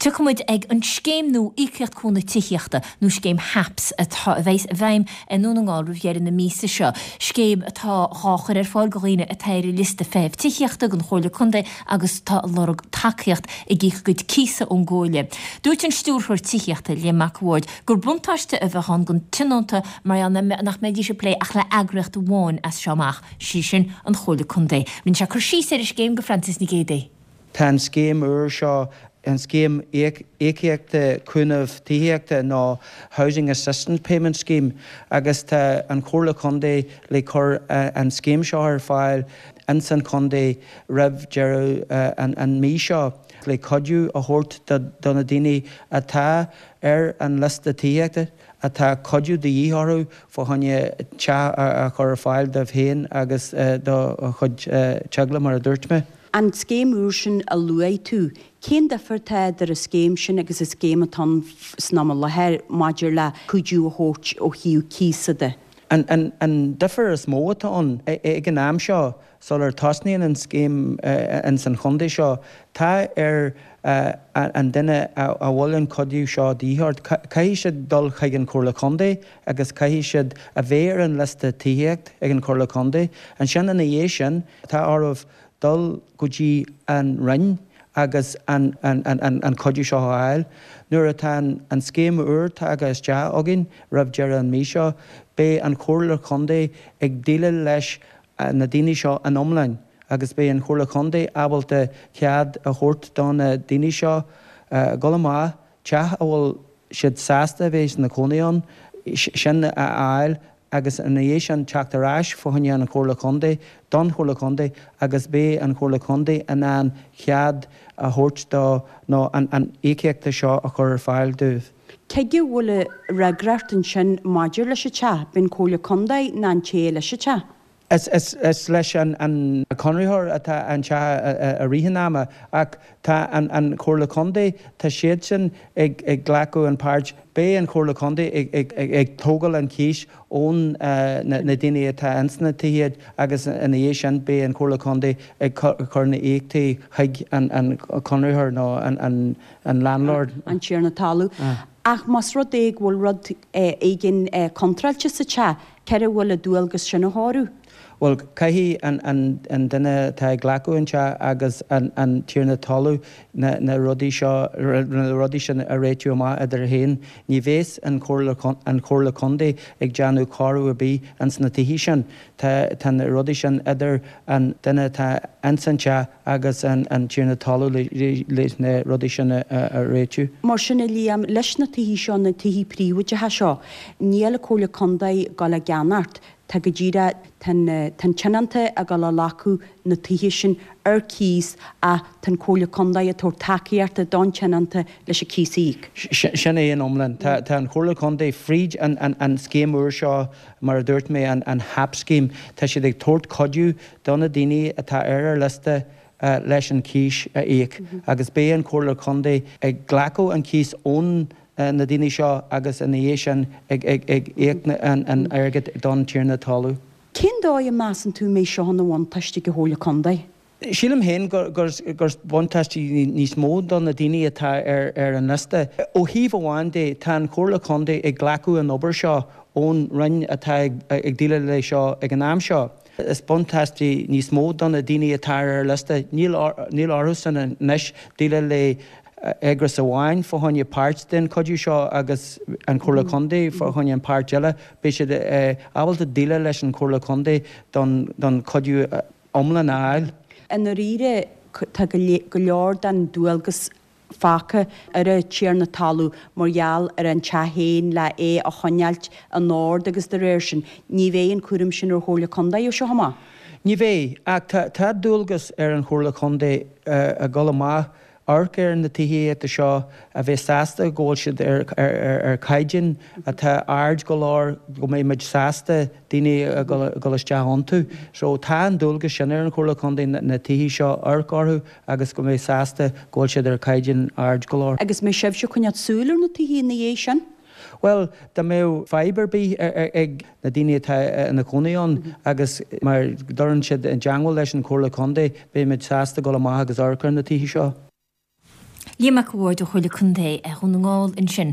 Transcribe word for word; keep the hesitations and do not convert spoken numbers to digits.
Tiocfaidh muid ag an scéim nua Íocaíocht Cúnamh Tithíochta nó scéim HAPS atá a bheas i bhfeidhm i nDún na nGall roimh dheireadh na míosa seo. Scéim atá dhá chur ar fáil go dhaoine atá ar an liosta feithimh tithíochta don Chomhairle Contae agus tá ag lorg tacaíocht ag íoc a gcuid cíosa ón gComhairle. Dúirt an Stiúrthóir Tithíochta Liam Mac a' Bhaird gur buntáiste a bheadh ann don tionónta mar nach mbeidís ag plé ach le eagraíocht amháin as seo amach, sí sin an Chomhairle Contae. Rinne sé cur síos ar an scéim go Frances Nic Géadaigh. Tá an scéim úr seo an scéim íocaíochta cúnamh tithíochta nó Housing Assistance Payment Scheme agus tá an Chomhairle Contae le cur an scéim seo ar fáil ins an chontae roimh deireadh an mí seo le cuidiú a thabhairt do na daoine atá ar an liosta tithíochta atá cuidiú de dhíth orthu fá choinne teach a chur ar fáil dóibh féin agus do chuid teaghlaigh mar a dúirt mé. An scéim úr sin a luaigh tú, cén difear atá idir an scéim sin agus an scéim atá ann san am i láthair maidir le cuidiú a thabhairt ó thaobh cíosa de? An, an, an difear is mó atá ann ag an am seo sular tosnaíonn an scéim ins an chontae seo, tá ar an duine a bhfuil an cuidiú seo de dhíth orthu, caithfidh siad dul chuig an Chomhairle Contae agus caithfidh siad a bheith ar an liosta tithíocht ag an Chomhairle Contae. Ansin ina dhiaidh sin, tá orthu dul go dtí an Roinn agus an an cuidiú seo a fháil. Nuair atá an scéim úr tagtha isteach againn roimh deireadh an mí seo, beidh an Chomhairle Contae ag déileáil leis na daoine seo in iomlán agus beidh an Chomhairle Contae ábalta cead a thabhairt do na daoine seo dul amach teach a bhfuil siad sásta a bheith ina cónaí ann sin a fháil agus ina dhiaidh sin teacht ar ais fá choinne an Chomhairle Contae don Chomhairle Contae agus beidh an Chomhairle Contae in ann cead a thabhairt dó nó an an íocaíochta seo a chur ar fáil dóibh. Cé aige a bhfuil an fhreagracht ansin maidir leis an teach, b'in Comhairle Contae nó an té leis an teach? Is is leis an conraitheoir atá an teach i rith an ama ach tá an Chomhairle Contae, tá siadsan ag ag glacadh an páirt, beidh an Chomhairle Contae ag ag tógáil an cíos ón na daoine atá ins na tithe agus ina dhiaidh sin beidh an Chomhairle Contae ag cur na íocaíochtaí chuig an an conraitheoir nó an an an landlord. An tiarna talún. Ach más rud é go bhfuil rud éigin contráilte sa teach, cé air a bhfuil an dualgas sin a chóiriú? Bhuel, caithfidh an an an duine atá ag glacadh an teach agus an an tiarna talún na na rudaí seo na rudaí sin a réitiú amach idir féin. Ní bheas an Chomhairle an Chomhairle Contae ag déanamh cóiriú ar bith ins na tithe sin. Tá tá na rudaí sin idir an duine atá ins an teach agus an an tiarna talún le leis na rudaí sin a a réitiú. Mar sin a Liam, leis na tithe seo, na tithe príobháideacha seo, níl an Chomhairle Contae ag dul á gceannacht. Tá go díreach, tá an tionónta ag dul a ghlacadh na tithe sin ar cíos ach tá an Chomhairle Contae ag tabhairt tacaíochta don tionónta leis an cíos a íoc. Sin é in iomlán. Tá tá an Chomhairle Contae fríd an an an scéim úr seo, mar a dúirt mé, an an HAP scheme, tá siad ag tabhairt cuidiú do na daoine atá ar ar liosta leis an cíos a íoc agus beidh an Chomhairle Contae ag glacadh an cíos ón na daoine seo agus ina dhiaidh sin ag ag ag íoc an an airgead don tiarna talún. Cén dóigh a measann tú a mbeidh seo ina bhuntáiste ag an Chomhairle Contae? Sílim féin gur gur gur buntáiste níos mó do na daoine atá ar ar an liosta. Ó thaobh amháin de, tá an Chomhairle Contae ag glacadh an obair seo ón Roinn atá ag ag déileáil leis seo ag an am seo. Is buntáiste níos mó do na daoine atá ar ar liosta. Níl níl orthusan anois déileáil le eagras amháin fá choinne páirt den chuidiú seo agus an Chomhairle Contae fá choinne an páirt eile. Beidh siad ábalta déileáil leis an Chomhairle Contae don don chuidiú iomlán a fháil. I ndáiríre, tá go leor den dualgas fágtha ar an tiarna talún mar gheall ar an teach féin le é a choinneáilt in ord agus de réir sin, ní bheidh an cúram sin ar Chomhairle Contae ó seo amach. Ní bheidh, ach tá tá dualgas ar an Chomhairle Contae a dhul amach amharc ar na tithíochta seo a bheith sásta go bhfuil siad ar ar ar caighdeán atá ard go leor go mbeidh muid sásta daoine a dhul isteach iontu. So tá an dualgas sin ar an Chomhairle Contae na tithe seo amharc orthu agus go mbeidh sásta go bhfuil siad ar caighdeán ard go leor. Agus mbeidh sibhse ag coinneáil súil ar na tithe ina dhiaidh sin? Bhuel, dá mbeadh fadhb ar bith ag na daoine atá ina gcónaí ann agus má chuireann siad i dteangmháil leis an Chomhairle Contae, beidh muid sásta dul amach agus amharc ar na tithe seo. Liam Mac a' Bhaird ó Chomhairle Contae Dhún na nGall ansin.